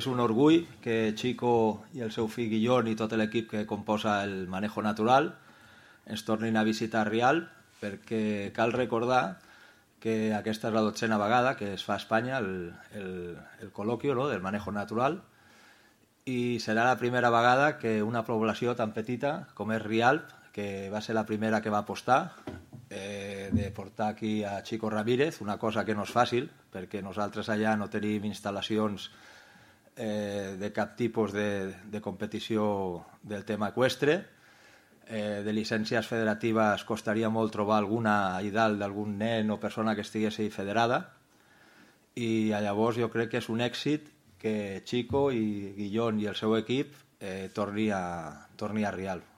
És un orgull que Chico i el seu fill Guillón i tot l'equip que composa el Manejo Natural ens tornin a visitar a Rialp, perquè cal recordar que aquesta és la 12a vegada que es fa a Espanya el col·loquio, no?, del Manejo Natural, i serà la primera vegada que una població tan petita com és Rialp, que va ser la primera que va apostar de portar aquí a Chico Ramírez, una cosa que no és fàcil, perquè nosaltres allà no tenim instal·lacions de cap tipus de competició del tema eqüestre. De llicències federatives costaria molt trobar alguna a dalt d'algun nen o persona que estigués federada, i llavors jo crec que és un èxit que Chico i Guillón i el seu equip torni a Rialp.